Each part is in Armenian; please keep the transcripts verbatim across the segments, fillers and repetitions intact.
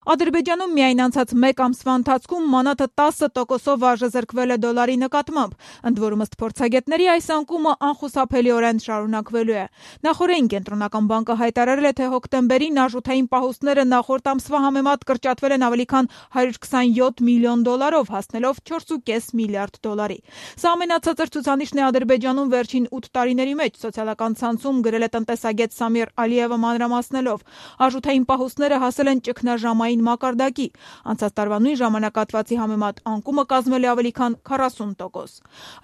Ադրբեջանում միայն անցած մեկ ամսվա ընթացքում մանաթը տասը տոկոսով արժեզրկվել է դոլարի նկատմամբ, ընդ որում ըստ փորձագետների այս անկումը անխուսափելիորեն շարունակվելու է։ Նախօրեին Կենտրոնական բանկը հայտարարել է, թե հոկտեմբերին արժութային պահուստները նախորդ ամսվա համեմատ կրճատվել են ավելի քան հարյուր քսանյոթ միլիոն դոլարով, հասնելով չորս ու կես միլիարդ դոլարի։ Սա ամենացածր ցուցանիշն է Ադրբեջանում վերջին ութ տարիների մեջ, սոցիալական ցանցում գրել է տնտեսագետ Սամիր Ալիևը մանրամասնելով։ Արժութային պահուստները հասել են ճգնաժամային մակարդակի։ Անցած տարվա նույն ժամանակահատվածի համեմատ անկումը կազմել է ավելի քան քառասուն տոկոս։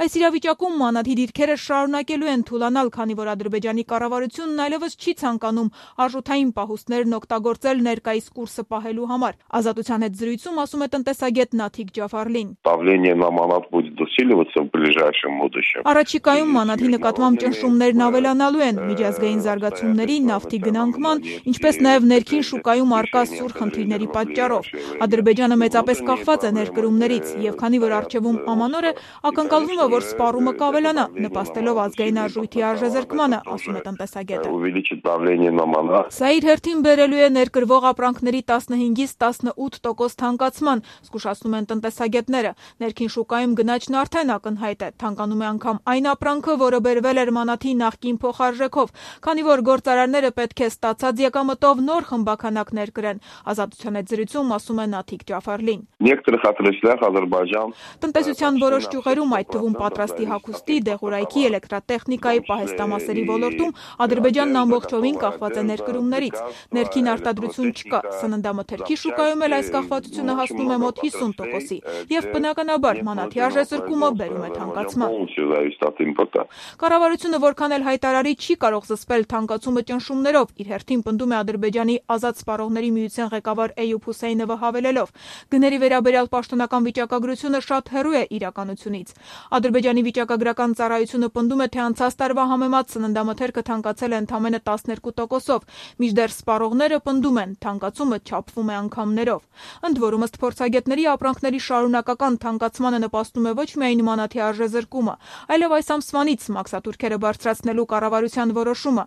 Այս իրավիճակում մանաթի դիրքերը շարունակելու են թուլանալ, քանի որ Ադրբեջանի կառավարությունն այլևս չի ցանկանում արժութային պահուստներն օգտագործել ներկայիս կուրսը պահելու համար։ Ազատության հետ զրույցում ասում է տնտեսագետ Նաթիկ Ջաֆարլին։ Առաջիկայում մանաթի նկատմամբ ճնշումներն ավելանալու են միջազգային զարգացումների, նավթի գնանկման, ինչպես նաև ներքին շուկայում առկա սուր խնդիրների պատճառով։ Ադրբեջանը մեծապես կախված է ներկրումներից, եւ քանի որ առջևում ամանոր է, ակնկալվում է, որ սպառումը կավելանա, նպաստելով ազգային արժույթի արժեզրկմանը, ասում է տնտեսագետը։ Սա իր հերթին բերելու է ներկրվող ապրանքների տասնհինգից տասնութ տոկոս թանկացման, զգուշացնում են տնտեսագետները։ Ներքին շուկայում գնաճն արդեն ակնհայտ է, թանկանում է անգամ այն ապրանքը, որը բերվել էր մանաթի նախկին փոխարժեքով, քանի որ գործարարները պետք է ստացած եկամտով նոր խմբաքանակ ներկրեն։ Ազատության հետ զրույցում ասում է Նաթիկ Ջաֆարլին։ Տնտեսության որոշ ճյուղերում, այդ թվում պատրաստի հագուստի, դեղորայքի, էլեկտրատեխնիկայի, պահեստամասերի ոլորտում Ադրբեջանն ամբողջովին կախված է ներկրումներից։ Ներքին արտադրություն չկա, սննդամթերքի շուկայում էլ այս կախվածությունը հասնում է մոտ հիսուն տոկոսի, եւ բնականաբար մանաթի արժեզրկումը բերում է թանկացման։ Կառավարությունը որքան էլ հայտարարի, չի կարող զսպել թանկացումը ճնշումներով, իր հերթին պնդում է Ադրբեջանի ազատ սպառողների միության ղեկավար Էյուբ Հուսեյնովը հավելելով. գների վերաբերյալ պաշտոնական վիճակագրությունը շատ հեռու է իրականությունից։ Ադրբեջանի վիճակագրական ծառայությունը պնդում է, թե անցած տարվա համեմատ սննդամթերքը թանկացել է ընդամենը տասներկու տոկոսով, մինչդեռ սպառողները պնդում են, թանկացումը չափվում է անգամներով։ Ընդ որում ըստ փորձագետների ապրանքների շարունակական թանկացմանը նպաստում է ոչ միայն մանաթի արժեզրկումը, այլև այս ամսվանից մաքսատուրքերը բարձրացնելու կառավարության որոշումը։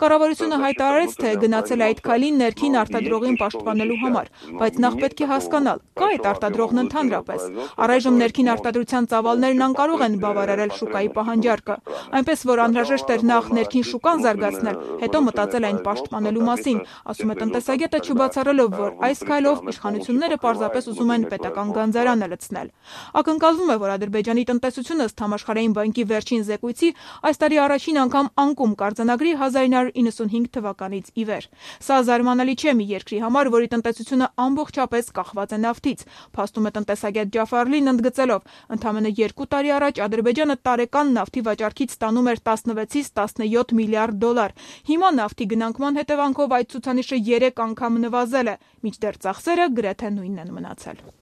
Կառավարությունը հայտարարեց, թե գնացել է այդ քայլին ներքին արտադրողին պաշտպանելու համար, բայց նախ պետք է հասկանալ, կա այդ արտադրողն ընդհանրապես։ Առայժմ ներքին արտադրության ծավալներն անկարող են բավարարել շուկայի պահանջարկը, այնպես որ անհրաժեշտ էր նախ ներքին շուկան զարգացնել, հետո մտածել այն պաշտպանելու մասին, ասում է տնտեսագետը, չբացառելով, որ այս քայլով իշխանությունները պարզապես ուզում են պետական գանձարանը լցնել։ Ակնկալվում է, որ Ադրբեջանի տնտեսությունը ըստ Համաշխարհային բանկի վերջին զեկույցի այս տարի առաջին անգամ անկում կարձանագրի հազար ինը հարյուր իննսունհինգ թվականից ի վեր։ Սա զարմանալի չէ մի երկրի համար, որի տնտեսությունը ամբողջապես կախված է նավթից, փաստում է տնտեսագետ Ջաֆարլին, ընդգծելով. ընդամենը երկու տարի առաջ Ադրբեջանը տարեկան նավթի վաճառքից ստանում էր տասնվեցից տասնյոթ միլիարդ դոլար։ Հիմա նավթի գնանկման հետևանքով այդ ցուցանիշը երեք անգամ նվազել է, մինչդեռ ծախսերը գրեթե նույնն են մնացել։